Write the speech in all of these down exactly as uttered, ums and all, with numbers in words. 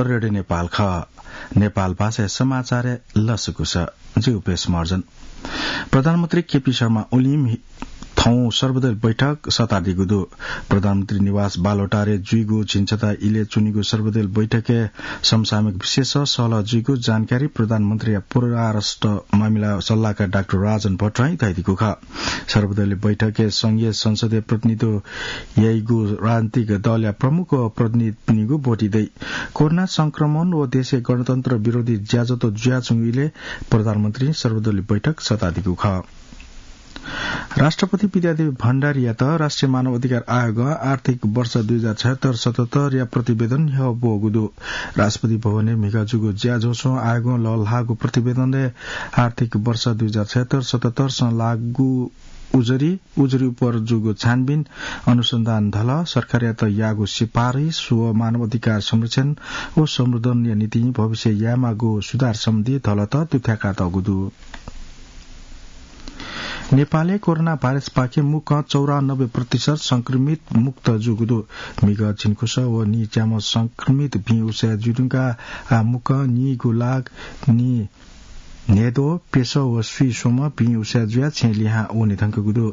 रेडियो नेपाल खः। नेपाल भाषाया समाचारय् लसकुस। जि उपेश महर्जन। प्रधानमन्त्री केपी शर्मा ओलीं थौं सर्वदलीय बैठक सःतादीगु दु। प्रधानमन्त्री निवास बालुवाटारय् जुइगु झिंछता इलय् च्वनीगु सर्वदलीय बैठकय् समसामयिक विषयय् सहलह जुइगु जानकारी प्रधानमन्त्रीया परराष्ट्र मामिला सल्लाहकार डाक्टर राजन भट्टराईं धयादीगु खः। सर्वदलीय बैठकय् संघीय संसदय् प्रतिनिधित्व याइगु राजनीतिक दलया प्रमुख व प्रतिनिधिपिनिगु ब्वति दइ। कोरोना संक्रमण व देशय् गणतन्त्र विरोधी ज्याझ्वः जुयाच्वंगु इलय् प्रधानमन्त्रीं सर्वदलीय बैठक सःतादीगु खः। राष्ट्रपति विद्यादेवी भण्डारीयात राष्ट्रिय मानव अधिकार आयोगं आर्थिक वर्ष दुई हजार छयत्तर सतहत्तरया प्रतिवेदन न्ह्यः ब्वःगु दु। राष्ट्रपति भवनय् म्हिगः जूगु ज्याझ्वलय् आयोगं लःल्हाःगु प्रतिवेदनय् आर्थिक वर्ष दुई हजार छयत्तर सतहत्तरसं लागू उजुरी, उजुरी उपर जूगु छानबिन, अनुसन्धान धलः, सरकारयात याःगु सिफारिस व मानव अधिकार संरक्षण व संवर्धनया निंतिं भविष्यय् यायेमाःगु सुधार सम्बन्धी धलःत दुथ्याकातःगु दु। नेपालय् कोरोना भाइरसपाखें मुक्कं चौरानब्बे प्रतिशत संक्रमित मुक्त जूगु दु। म्हिगः झिंखुसः व नीच्याम्ह संक्रमित भिं उसाँय् जुइधुंकाः आः मुक्कं नीगु लाख नी न्हय्द्वः, प्यसः व स्वीस्वम्ह भिं उसाँय् जुयाः छेँ लिहां वने धुंकूगु दु।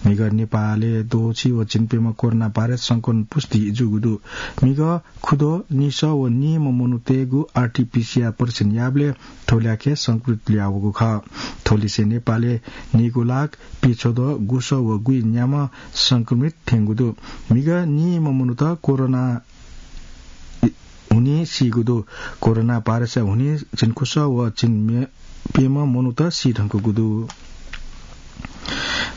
म्हिगः नेपालय् द्वःछि व झिंप्यम्ह कोरोना भाइरस संक्रमण पुष्टि जूगु दु। म्हिगः खुद्वः निसः व नीम्ह मनूतय्गु आरटीपीसीआर परीक्षण याःबलय् थ्व ल्याखय् संक्रमित ल्हुयावःगु खः। थ्वलिसे नेपालय् नीगु लाख पीछ्वद्वः गुसः व गुइन्याम्ह संक्रमित थ्यंगु दु। म्हिगः नीम्ह मनूत कोरोना हुनिं सीगु दु। कोरोना भाइरसया हुनिं झिंखुसः व झिंप्यम्ह मनूत सी धुंकूगु दु।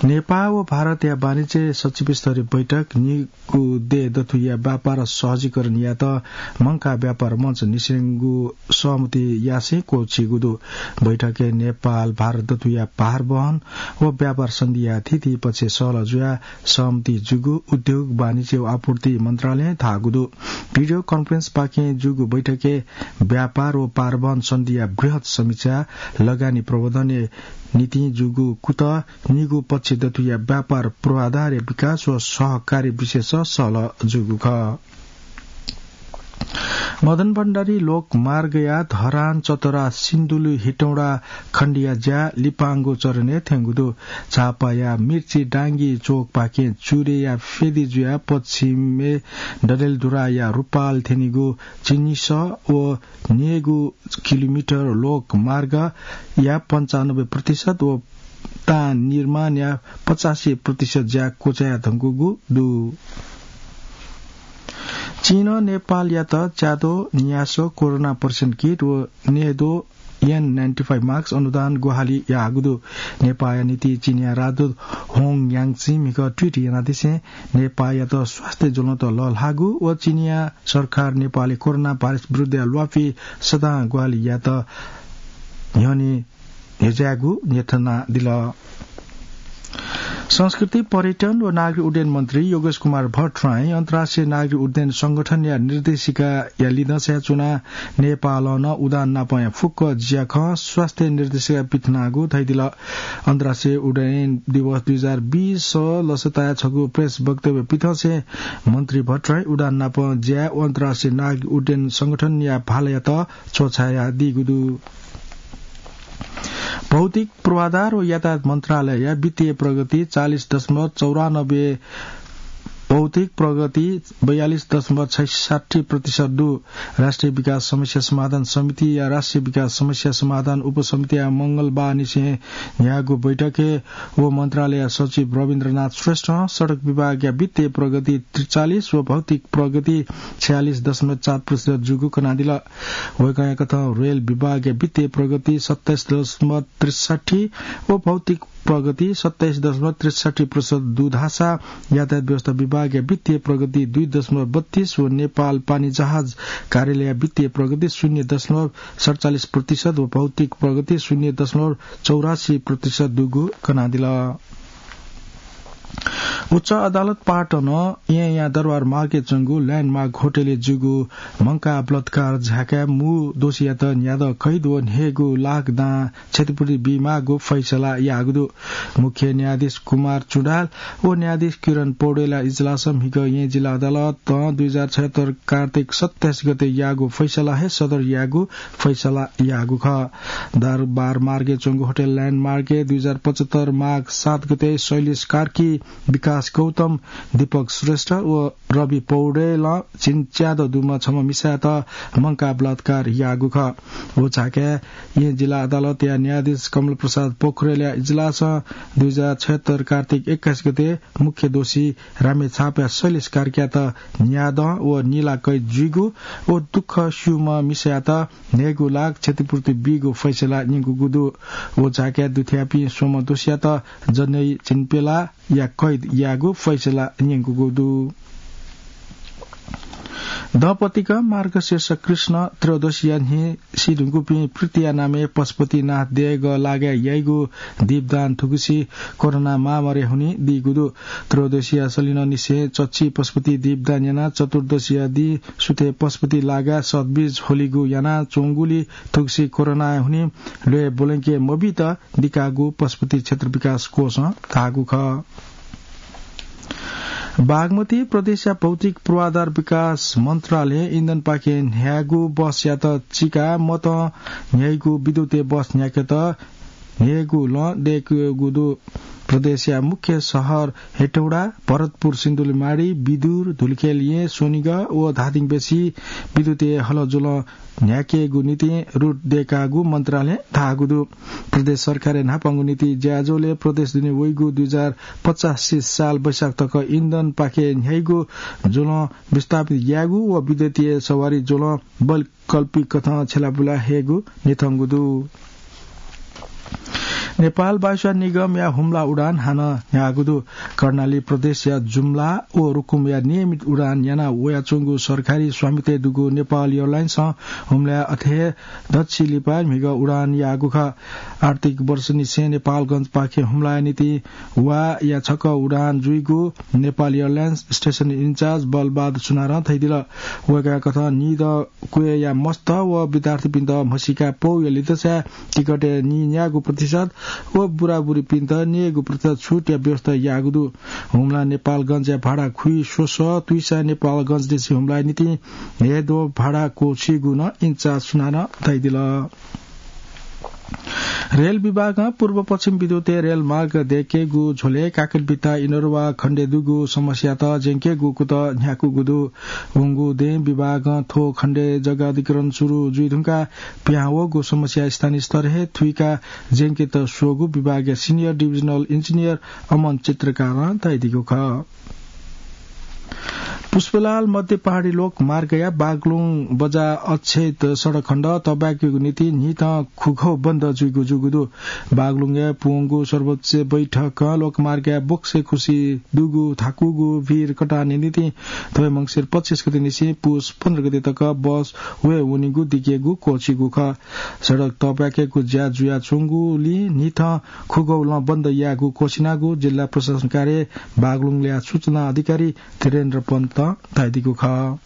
नेपाल व भारतया वाणिज्य सचिव स्तरीय बैठक नीगु देय् दथुइया व्यापार सहजीकरण यायेत मंकाः व्यापार मञ्च निसेंगु सहमति यासें क्वःछिइगु दु। बैठकय् नेपाल भारत दथुइया भारवहन व व्यापार सन्धिया थीथी पक्षय् सहलह जुयाः सहमति जूगु उद्योग, वाणिज्य व आपूर्ति मन्त्रालयं धाःगु दु। भिडियो कन्फरेन्सपाखें जूगु बैठकय् व्यापार व भारवहन सन्धिया बृहत् समीक्षा, लगानी प्रवर्धनया निंतिं जूगु कुतः, नीगु पक्ष दथुइया व्यापार पूर्वाधारया विकास व सहकार्य विषयय् सहलह जूगु खः। मदन भण्डारी लोकमार्गया धरान, चतरा, सिन्धुली, हेटौँडा खण्डया ज्या लिपांगु चरणय् थ्यंगु दु। झापाया मिर्ची डांगी चोकपाखें चुरेया फेदी जुयाः पश्चिमय् डडेलधुराया रूपाल थ्यनीगु चिनिसः व न्यय्गू किलोमिटर लोकमार्गया पन्चानब्बे प्रतिशत व तां निर्माणया पचासी प्रतिशत ज्या क्वचाया धुंकूगु दु। चीनं नेपालयात च्याद्वः, न्यासः, कोरोना परीक्षण किट व न्यय्द्वः एन नाइन्टी फाइभ मास्क अनुदान ग्वाहालि याःगु दु। नेपाःया निंतिं चीनया राजदूत होङ याङचिं म्हिगः ट्विट यानादिसें नेपाःयात स्वास्थ्य ज्वलंत लःल्हाःगु व चीनया सरकार नेपालय् कोरोना भाइरस विरुद्धया ल्वापि सदां ग्वाहालि यायेत न्ह्यःने न्ह्यज्यायेगु न्ह्यथनादिल। संस्कृति, पर्यटन व नागरिक उड्डयन मन्त्री योगेश कुमार भट्टराईं अन्तर्राष्ट्रिय नागरिक उड्डयन संगठनया निर्देशिकाया लिधंसाय् च्वनाः नेपालं नं उडान नापं फुक्क ज्याखँ स्वास्थ्य निर्देशिकाय् पिथनागु धयादिल। अन्तर्राष्ट्रिय उड्डयन दिवस दुई हजार बीस लसताय् छगू प्रेस वक्तव्य पिथंसें मन्त्री भट्टराईं उडान नापं ज्याय् अन्तर्राष्ट्रिय नागरिक उड्डयन संगठनया भालायात च्वछायादीगु दु। भौतिक पूर्वाधार व यातायात मन्त्रालयया वित्तीय प्रगति चालिस दशमलव चौरानब्बे, भौतिक प्रगति बयालिस दशमलव छैसट्ठी प्रतिशत दु। राष्ट्रिय विकास समस्या समाधान समितिया राष्ट्रिय विकास समस्या समाधान उपसमितिया मंगलबारनिसें न्ह्याःगु बैठकय् व मन्त्रालयया सचिव रविन्द्रनाथ श्रेष्ठं सडक विभागया वित्तीय प्रगति त्रिचालिस व भौतिक प्रगति छयालिस दशमलव चार प्रतिशत जूगु कनादिल। वय्कःया कथं रेल विभागया वित्तीय प्रगति सत्ताइस दशमलव त्रिसट्ठी व भौतिक प्रगति सत्ताइस दशमलव त्रिसट्ठी प्रतिशत दु धाःसा यातायात व्यवस्था विभागया वित्तीय प्रगति दुई दशमलव बत्तीस व नेपाल पानी जहाज कार्यालयया वित्तीय प्रगति शून्य दशमलव सतचालिस प्रतिशत व भौतिक प्रगति शून्य दशमलव चौरासी प्रतिशत दुगु कनादिल। उच्च अदालत पाटन येँया दरबार मार्गय् च्वंगु ल्यान्डमार्क होटलय् जूगु मंकाः बलात्कार झाय्काय् मू दोषीयात न्यादँ कैद व न्हय्गू लाख दां क्षतिपूर्ति बीमाःगु फैसला याःगु दु। मुख्य न्यायाधीश कुमार चुडाल व न्यायाधीश किरण पौडेलया इजलासं म्हिगः येँ जिल्ला अदालतं दुई हजार छयत्तर कार्तिक सत्ताइस गते याःगु फैसला हे सदर याःगु फैसला याःगु खः। दरबार मार्गय् च्वंगु होटल ल्यान्डमार्कय् दुई हजार पचहत्तर माघ सात गते शैलेश कार्की, विकास गौतम, दीपक श्रेष्ठ व रवि पौडेलं झिंच्यादँ दुम्ह छम्ह मिसायात मंकाः बलात्कार याःगु खः। व झाय्काय् येँ जिल्ला अदालतया न्यायाधीश कमल प्रसाद पोखरेलया इजलासं दुई हजार छयत्तर कार्तिक एक्काइस गते मुख्य दोषी रामेछापया शैलेश कार्कीयात न्यादँ व निला कैद जुइगु व दुःख स्यूम्ह मिसायात न्हय्गू लाख क्षतिपूर्ति बीगु फैसला न्यंकूगु दु। व झाय्काय् दुथ्याःपिं स्वम्ह दोषीयात जनै झिंप्यलाया कैद याःगु फैसला न्यंकूगु दु। दँपतिक मार्गशीर्ष कृष्ण त्रयोदशीया न्हि सी धुंकूपिं प्रीतिया नामय् पशुपतिनाथ देगः लागाय् याइगु दीपदान थुगुसी कोरोना महामारी हुनिं दीगु दु। त्रयोदशीया सलिनंनिसें चच्छि पशुपति दीपदान यानाः चतुर्दशीया दिं सुथय् पशुपति लागाय् सतबीज होलीगु यानाच्वंगुलिं थुगुसी कोरोना हुनिं ल्वय् ब्वलंके मबीत दिकाःगु पशुपति क्षेत्र विकास कोषं धाःगु खः। बागमती प्रदेशया भौतिक पूर्वाधार विकास मन्त्रालयं इन्धनपाखें न्ह्याइगु बसयात चिकाः मतं न्ह्याइगु विद्युतीय बस न्ह्याकेत न्ह्याइगु लँ दय्कूगु दु। प्रदेशया मुख्य शहर हेटौडा, भरतपुर, सिन्धुलीमाढी, विदुर, धुलिखेल येँ, स्वनिगः व धादिङ बेसी विद्युतीय हलज्वलं न्ह्याकेगु निंतिं रुट दय्काःगु मन्त्रालयं धाःगु दु। प्रदेश सरकारया न्हापांगु नीति ज्याझ्वलय् प्रदेश दुने वइगु दुई हजार पचासी साल वैशाख तक इन्धनपाखें न्ह्याइगु ज्वलं विस्थापित यायेगु व विद्युतीय सवारी ज्वलं वैकल्पिक कथं छ्यलाबुला हयेगु न्ह्यथंगु दु। नेपाल वायुसेवा निगमया हुम्ला उडान हानं न्ह्याःगु दु। कर्णाली प्रदेशया जुम्ला व रुकुमया नियमित उडान याना वयाच्वंगु सरकारी स्वामित्वय् दुगु नेपाल एयरलाइन्सं हुम्लाय् अथे हे दच्छि लिपा म्हिगः उडान याःगु खः। आर्थिक वर्षनिसें नेपालगंजपाखें हुम्लाया निंतिं वा या छकः उडान जुइगु Nepal airlines station in charge Balbahadur सुनारं धयादिल। वय्कःया कथं निदँ क्वय्या मस्त व विद्यार्थीपिन्त म्हसीका पौया लितसाय् टिकटय् नीन्यागू प्रतिशत व बुराबुरीपिन्त न्यय्गू प्रतिशत छुटया व्यवस्था याःगु दु। हुम्ला नेपालगंजया भाडा खुइ स्वसः तुइसा नेपालगंजनिसें हुम्लाया निंतिं न्हय्द्वः भाडा क्वःछीगु नं इन्चार्ज सुनारं धयादिल। रेल विभागं पूर्व पश्चिम विद्युतीय रेलमार्ग दय्केगु झ्वलय् काकटभिट्टा इनर्वा खण्डय् दुगु समस्यात ज्यंकेगु कुतः न्ह्याकूगु दु। वंगु दँय् विभागं थ्व खण्डय् जग्गा अधिग्रहण सुरु जुइधुंकाः पिहां वःगु समस्या स्थानीय स्तरय् हे थुइकाः ज्यंकेत स्वःगु विभागया सिनियर डिभिजनल इन्जिनियर अमन चित्रकारं धयादीगु खः। पुष्पलाल मध्य पहाडी लोकमार्गया बागलुङ बजार अक्षेत्र सडक खण्ड तःब्वाकेगु निंतिं न्हिथं खुगौ बन्द जुइगु जूगु दु। बागलुङय् पूवंगु सर्वोच्च बैठकं लोकमार्गया बोक्से खुसी दुगु थाकूगु भिर कटाने निंतिं थ्व मंसिर पच्चिस गते निसें पुस पन्ध्र गते तक बस वये वनीगु दिकेगु क्वःछीगु खः। सडक तःब्वाकेगु ज्या जुयाच्वंगुलिं न्हिथं खुगौ लं बन्द यायेगु क्वःछिनागु जिल्ला प्रशासन कार्य बागलुङया सूचना अधिकारी धीरेन्द्र पन्तं धयादीगु खः।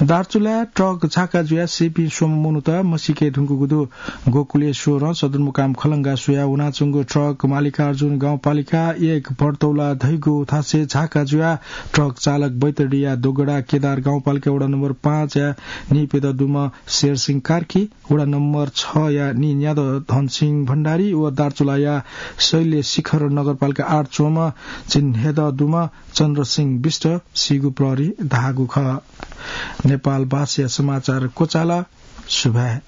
दार्चुलाय् ट्रक झाका जुयाः सीपिं स्वम्ह मनूत म्हसीके धुंकूगु दु। गोकुलेश्वरं सदरमुकाम खलंगा स्वयाः वनाच्वंगु ट्रक मालिकार्जुन गाउँपालिका एक भरतौला धइगु थासय् झाका जुयाः ट्रक चालक बैतडीया दोगडा केदार गाउँपालिका वडा नम्बर पाँचया नीप्यदँ दुम्ह शेरसिंह कार्की, वडा नम्बर छया नीन्यादँ धनसिंह भण्डारी व दार्चुलाया शैलशिखर नगरपालिका आठ च्वंम्ह झिंन्हय्दँ दुम्ह चन्द्रसिंह बिष्ट सीगु प्रहरीं धाःगु खः। नेपाल भाषाया समाचार क्वचाल। सुभाय्।